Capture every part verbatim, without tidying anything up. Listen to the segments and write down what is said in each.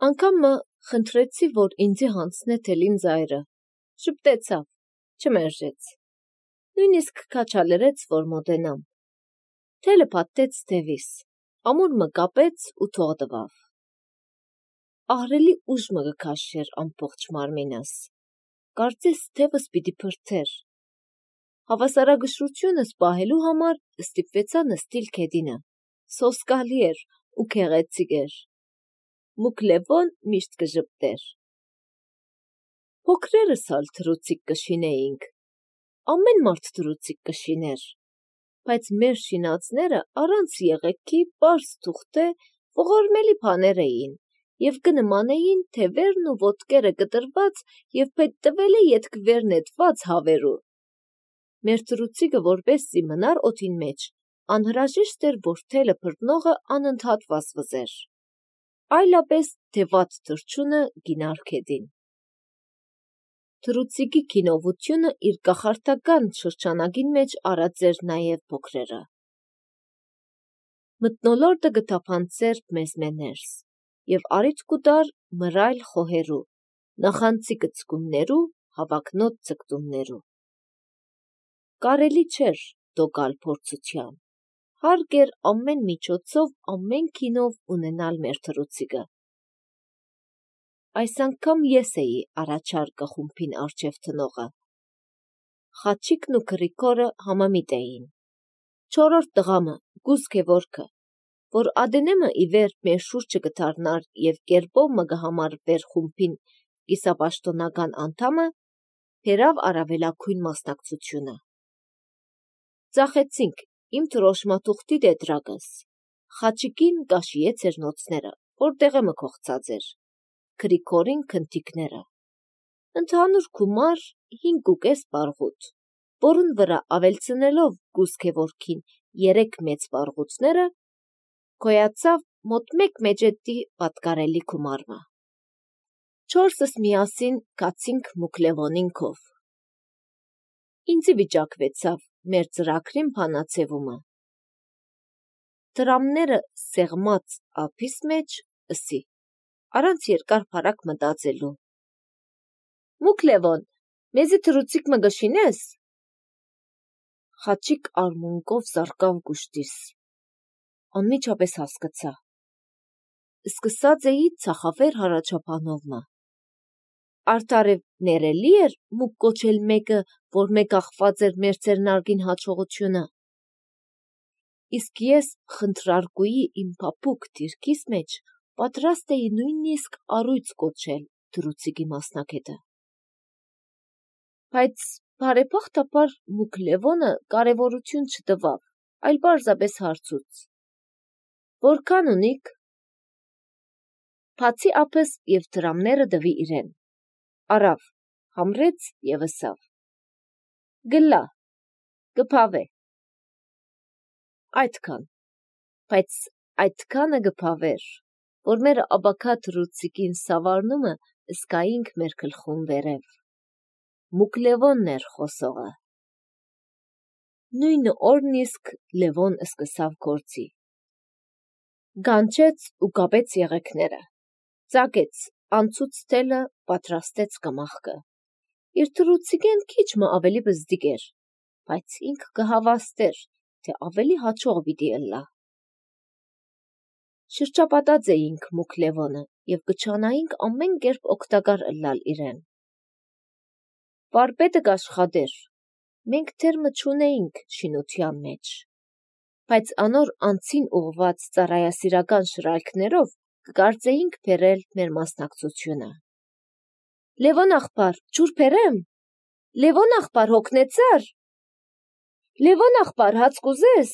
Անգամ մը խնդրեցի, որ ինձի հանցնե թելին զայրը, շպտեցավ, չմերժեց, նույնիսկ քաչալերեց, որ մոտենամ, թելը պատտեց թևիս, ամուր մը կապեց ու թող տվավ, ահրելի ուժ մը գքաշեր ամբողջ մարմինս, կարծես թևս պիտի փրթեր, հավասարագշռությունս պահելու համար ստիպվեցա նստիլ քեդինը, սոսկալի էր ու քեղեցիկ էր, մուկ Լևոն միշտ կժպտեր, փոքրերս ալ թռուցիկ կշինեինք, ամեն մարդ թռուցիկ կշիներ, բայց մեր շինածները առանց եղեգքի պարզ թուղթե ողորմելի բաներ էին և կնմանեին թևերն ու ոտքերը կտրված և փետտվել է ետք նետված հավերու, մեր թռուցիկը որպեսզի մնար օդին մեջ, անհրաժեշտ էր, որ թելը փրտնողը անընդհատ վազվզեր, այլապես թե վատ թռչունը գինար քեդին, թռուցիկի քինովությունը իր կախարդական շրջանագին մեջ արած էր նաև փոքրերը, մթնոլորտը գտափանցեր մեզմե ներս և առիթ կուտար մռայլ խոհերու, նախանձի կծկումներու, հավակնոտ ձգտումներու, կարելի չէր դոգալ փորձության, հարկ էր ամեն միջոցով ամեն քինով ունենալ մեր թռուցիկը, այս անգամ ես էի առաջարկը խումբին առջև տնողը, Խաչիկն ու Գրիգորը համամիտ էին, չորրորդ տղամը Գուսկևորքը, որ ադենեմը ի վերջ մեր շուրջը կդառնար և կերպով մը կհամարվեր խումբին կիսապաշտոնական անդամը, բերավ առավելագույն մասնակցությունը, ծախեցինք իմ դրոշմաթուղթի տետրակս, Խաչիկին կաշիեց էր նոցները, որ դեղեմը կողծած էր, Գրիգորին քնթիքները, ընդհանուր գումար հինգ ու կես բարգուտ, որուն վրա ավելցնելով Գուսկևորքին երեք մեծ բարգուտները, գոյացավ մոտ մեկ մեջետի պատկարելի գումարը, չորսս միասին գացինք մուկ Լևոնին քով, ինձի վիճակվեցավ մեր ծրագրին բանացևումը, դրամները սեղմած ափիս մեջ ըսի, առանց երկար փառակ մտածելու, մուկ Լևոն, մեզի թռուցիկ մը գշինես, Խաչիկ արմունկով զարկավ գուշտիս, անմիջապես հասկացա, սկսած էի ծախավեր հարաճապանովմը, արդարև ներելի էր մուկ կոչել մեկը, որ մեկ ախված էր մեր ծերնարգին հաջողությունը, իսկ ես խնդրարկուի իմ փափուկ դիրքիս մեջ պատրաստ էի նույնիսկ առույց կոչել թռուցիկի մասնակետը, բայց բարեբախտաբար մուկ Լևոնը կարևորություն չտվավ, այլ պարզապես հարցուց, որքան ունիք, բացի ափս և դրամները տվի իրեն, առավ, համրեց և ըսավ, գլա, կփավե, այդքան, բայց այդքանը կփավեր, որ մեր աբակա թռուցիկին սավառնումը զգայինք մեր գլխուն վերև, մուկ Լևոնն էր խոսողը, նույն օրն իսկ Լևոն սկսավ գործի, գանչեց ու կապեց եղեգները, ծագեց անցուց թելը, պատրաստեց կմախքը, իր թռուցիկեն քիչ մը ավելի բզդիկ էր, բայց ինք կհավաստեր, թե ավելի հաջող պիտի ըլլա, շրջապատած էինք մուկ Լևոնը և կչանայինք ամեն կերպ օգտակար ըլլալ իրեն, վարպետը կաշխատեր, մենք դեռ մը չունեինք շինության մեջ, բայց անոր անձին ուղղված ծառայասիրական շրայլքներով կկարծեինք բերել մեր մասնակցությունը, Լևոն աղբար, ջուր բերեմ, Լևոն աղբար հոգնեցար, Լևոն աղբար հաց կուզես,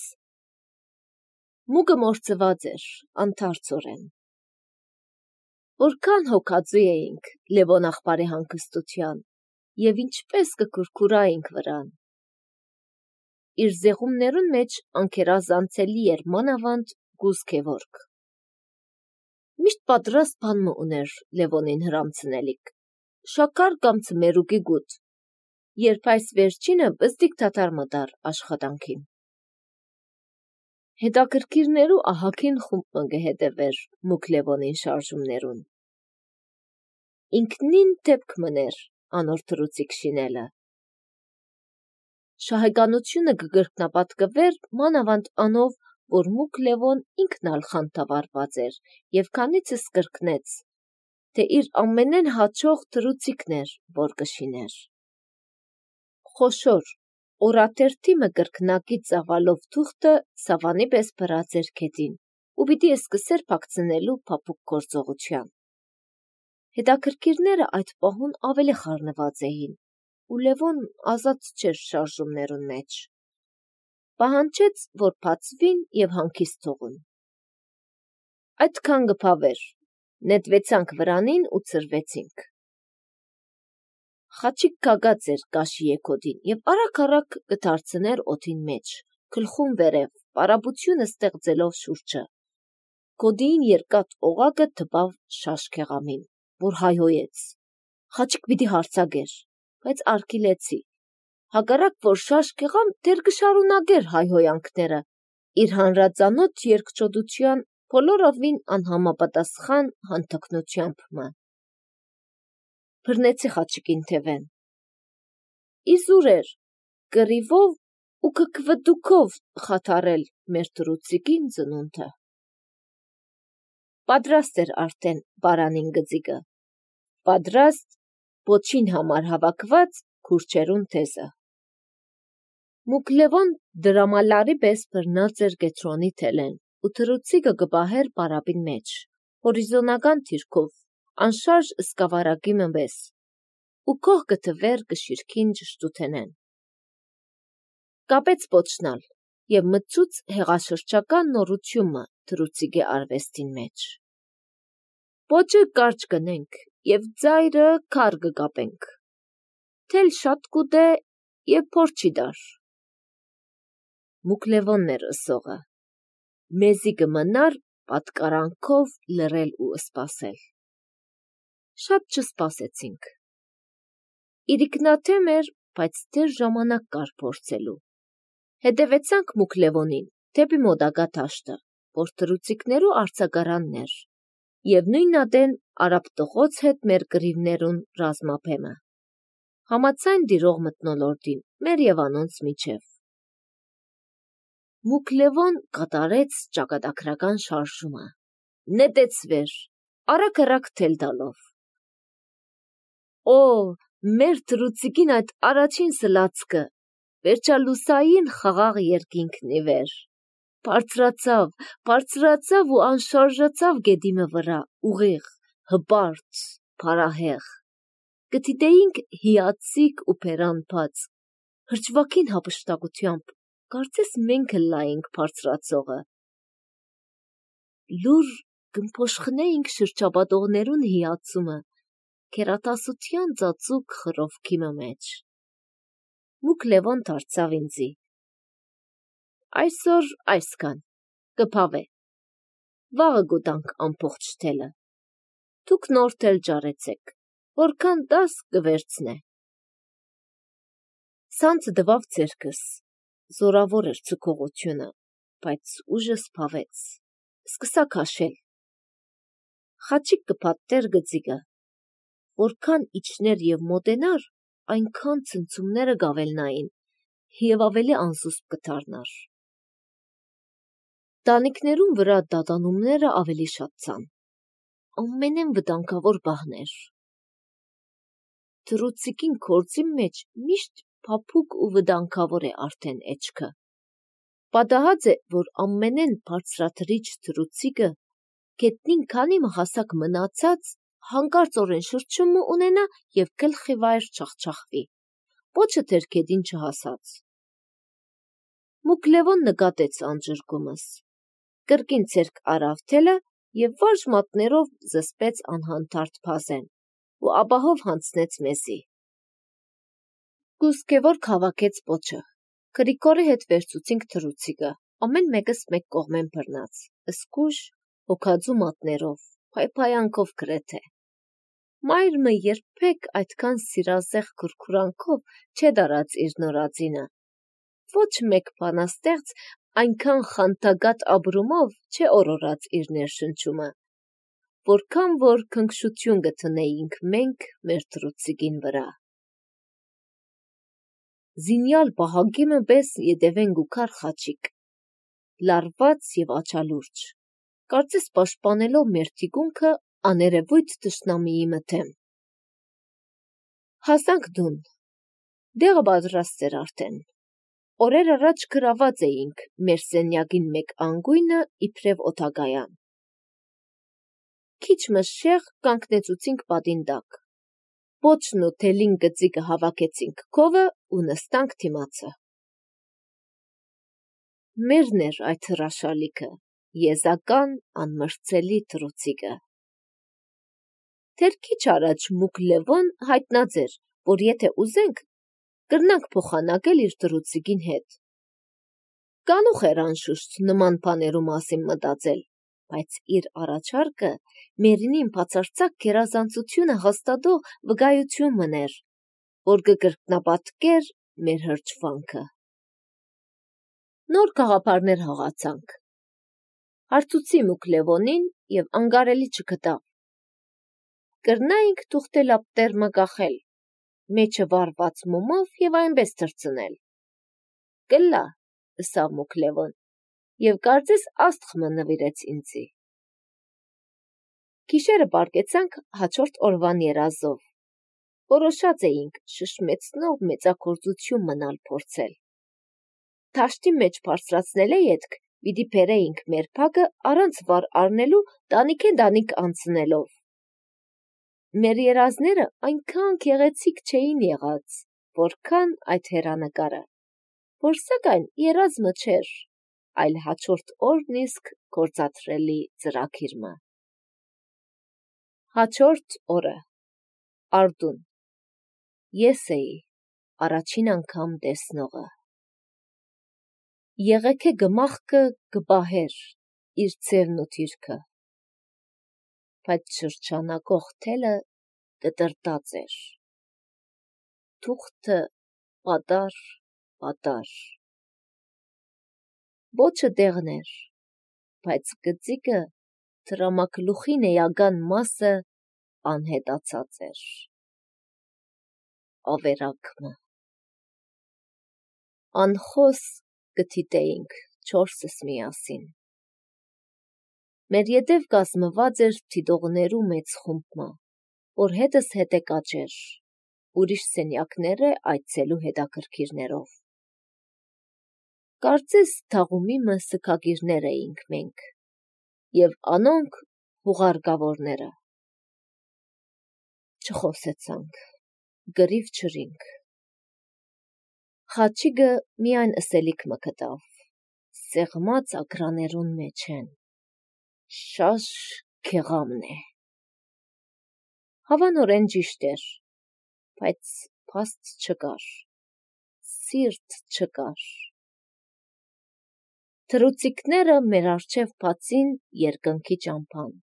մուկը մորցված էր, անթարցորեն, որքան հոգածու էինք Լևոն աղբարի հանգստության և ինչպես կքուրքուրայինք վրան, իր զեղումներուն մեջ անկերազանցելի էր մանավանդ Գուսկևորք, միշտ պատրաստ բան մը ուներ Լևոնին հրամցնելիք, շաքար կամ ցմերուկի գուտ, երբ այս վերջինը բզդիկ դադար մտար աշխատանքին, հետաքրքիրներու ահագին խումբ մը կհետևեր մուկ Լևոնին շարժումներուն, ինքնին դեպք մներ անոր թռուցիկ շինելը։ Շահեգանությունը կգրկնապատկվեր մանավանդ անով, որ Մուկ Լևոն ինքն ալ խանթավառված էր եւ քանիցս կրկնեց, թե իր ամենեն հաճող թռուցիկն էր, որ կշիներ։ Խոշոր, օրաթերթի մը կրկնակի ծավալով թուղթը սավանի պես բրած էր քետին ու պիտի սկսեր փակցնելու փափուկ գործողության։ Հետաքրքիրները այդ պահուն ավելի խառնված էին, ու Լևոն ազատ չէր շարժումներուն մեջ։ Պահանջեց, որ բացվին եւ հանգիստ թողուն։ Այդքան գփավեր, նետվեցանք վրանին ու ծրվեցինք։ Խաչիկ կագած էր կաշի եքոդին եւ արագ-արագ կդարձներ օդին մեջ, գլխուն վերև, պարապությունը ստեղծելով շուրջը։ Կոդիին երկաթ օղակը թպավ շաշքեղամին, որ հայհոյեց։ Խաչիկ պիտի հարցագեր, բայց արգիլեցի։ Հակառակ որ շաշքեղամ դեր կշարունակեր հայհոյանքները, իր հանրածանոթ երկչոդության բոլորովին անհամապատասխան հանթքնությամբ մը։ Բռնեցի խաչիկին թևեն։ Իզուր էր, կռիվով ու կկվդուքով խաթարել մեր թռուցիկին ծնունդը։ Պատրաստ էր արդեն բարանին գծիկը, պատրաստ ոչին համար հավաքված քուրչերուն թեզը։ Մուկ Լևոն դրամալարի պես բռնած էր գետրոնի թելեն ու թռուցիկը կպահեր պարապին մեջ, հորիզոնական թիրքով, անշարժ սկավառակի մը պես, ու քող կթվեր կշիրքին ճշտութենեն։ Կապեց պոչնալ եւ մտցուց հեղաշրջական նորությունը թռուցիկի արվեստին մեջ։ Պոչը կարճ կնենք եւ ծայրը քար կկապենք։ Թել շատ կուտե եւ փոր չի դար։ Մուկ Լևոնն էր ըսողը։ Մեզի կմնար պատկարանքով լռել ու սպասել։ Շատ չսպասեցինք։ Իրիկնաթեմ էր, բայց դեռ ժամանակ կար փորձելու։ Հետևեցանք Մուկ Լևոնին, դեպի մոտակա դաշտը, որ թռուցիկներու արձակարանն էր, եւ նույնատեն արաբտղոց հետ մեր կռիվներուն ռազմափեմը։ Համացայն դիրող մթնոլորտին, մեր եւ անոնց միջև։ Մուկ Լևոն կատարեց ճակատագրական շարժումը։ Նետեց վեր, արագ-արագ թել տալով։ Օ, մեր թռուցիկին այդ առաջին սլացքը, վերջալուսային խաղաղ երկինքն ի վեր։ Բարձրացավ, բարձրացավ ու անշարժացավ գետիմը վրա, ուղիղ, հպարտ, փարահեղ։ Կդիտեինք հիացիկ ու բերանբաց, հրճվակին հափշտակությամբ, կարծես մենք լայինք բարձրացողը։ Լուր կմփոշխնեինք շրջապատողներուն հիացումը, կերատասության ծածուկ խռովքի մեջ։ Մուկ Լևոն դարձավ ինձի։ Այսօր այսքան, կփավե։ Վաղը գուտանք ամբողջ թելը։ Դուք նոր թել ջարեցեք, որքան դաս կվերցնե։ Սանձը դվավ ձերքս, զորավոր էր ցկողությունը, բայց ուժս փավեց, սկսա քաշել։ Խաչիկ կփաթեր գծիկը, որքան իջներ եւ մոտենար, այնքան ցնցումները գավելնային եւ ավելի անզուսպ կդառնար։ Տանիքներուն վրա դատանումները ավելի շատցան, ամենեն վտանգավոր բահներ։ Թռուցիկին քորձի մեջ միշտ փափուկ ու վտանգավոր է արդեն էջքը։ Պատահած է, որ ամենեն բարձրաթռիչ թռուցիկը գետնին քանի մահասակ մնացած հանկարծորեն շրջումը ունենա եւ գլխի վայր չախչախվի, պոչը թերքեդին չհասած։ Մուկ Լևոն նկատեց անջրկումս, կրկին ցերկ արավ թելը եւ վարժ մատներով զսպեց անհանդարտ փազեն ու ապահով հանձնեց մեզի։ Կուսկեվոր քաղաքեց պոչը, Գրիգորի հետ վերցուցինք թռուցիկը, ամեն մեկս մեկ կողմեն բռնած, սկուժ, հոգածու մատներով, փայփայանքով գրեթե։ Մայրը երբեք այդքան սիրազեղ քուրքուրանքով չէ դարած իր նորածինը։ Ոչ մեկ բանաստեղծ այնքան խանտագատ ապրումով չէ օրորած իր ներշնչումը, որքան որ քնքշություն գտնեինք մենք մեր թռուցիկին վրա։ Զինյալ բահագիմը պես ետևեն գուքար խաչիկ, լարված և աչալուրջ, կարծես պաշտպանելով մեր թիկունքը աներևույթ թշնամիի մթեմ։ Հասանք դուն, դեղը պատրաստ էր արդեն, օրեր առաջ գրաված էինք մեր սենյակին մեկ անգույնը իբրև օդագայան։ Քիչ մշեղ կանգնեցուցինք պատին տակ, պոչն ու թելին գծիկը հավաքեցինք քովը ու նստանք դիմացը։ Մերն էր այդ հրաշալիքը, եզական անմրցելի թռուցիկը։ Դեռ քիչ առաջ մուկ Լևոն հայտնած էր, որ եթե ուզենք, կրնանք փոխանակել իր թռուցիկին հետ։ Կանուխ էր անշուշտ նման բաներու մասին մտածել, բայց իր առաջարկը Մերինին բացարձակ գերազանցությունը հաստատող վկայություն մներ, որ կկրկնապատկեր մեր հրճվանքը։ Նոր գաղափարներ հղացանք։ Հարցուցի մուկ Լևոնին և անգարելի չգտավ։ Կրնայինք թուղթել ապտերմը կախել, մեջը վառված մոմով և այնպես թռցնել։ Կլա, ըսավ մուկ Լևոն, և կարծես աստղմը նվիրեց ինձի։ Գիշերը պարկեցանք հաջորդ օրվան երազով, որոշած էինք շշմեցնող մեծագործություն մնալ փորձել։ Դաշտի մեջ բարձրացնելէ ետք պիտի բերեինք մեր փագը առանց վար առնելու տանիքեն-տանիք անցնելով։ Մեր երազները այնքան գեղեցիկ չէին եղած, որքան այդ հեռանկարը, որ սակայն երազմը չէր, այլ հաջորդ օրն իսկ գործադրելի ծրագիրը։ Հաջորդ օրը, Արտուն, ես էի առաջին անգամ տեսնողը։ Եղեգե գմախքը կպահեր իր ձևն ու դիրքը, բայց շրջանակող թելը կտրտած էր, թուղթը պատար, պատար։ Պոչը տեղն էր, բայց գծիկը դրամագլուխին էական մասը անհետացած էր։ Ավերակը։ Անխոս կթիտեինք չորսս միասին։ Մեր ետև կազմված էր դիտողներու մեծ խումբը, որ հետս հետ է կաճեր, ուրիշ սենյակները այցելու հետաքրքիրներով։ Կարծես թաղումիմը սքագիրներ էինք մենք, և անոնք հուղարկավորները։ Չխոսեցանք, գրիվ չրինք։ Խաչիկը միայն ըսելիք մը գտավ, սեղմած ագրաներուն մեջ են, շաշ քեղամն է։ Հավանորեն ճիշտ էր, բայց փաստ չկար, սիրտ չկար։ Թռուցիկները մեր առջև բացին երկնքի ճամփան,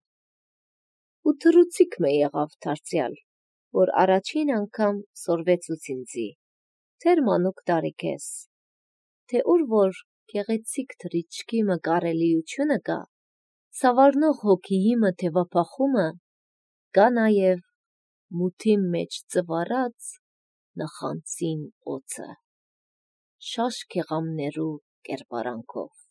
ու թռուցիկ մը եղավ դարձյալ, որ առաջին անգամ սորվեցուց ինձի, դեռ մանուկ տարիքես, թե ուր որ գեղեցիկ թռիչքի մը կարելիությունը կա, սավառնող հոգիի մը թևափախումը, կա նաև մութի մեջ ծվարած նախանձին օձը, շաշ քեղամներու կերպարանքով։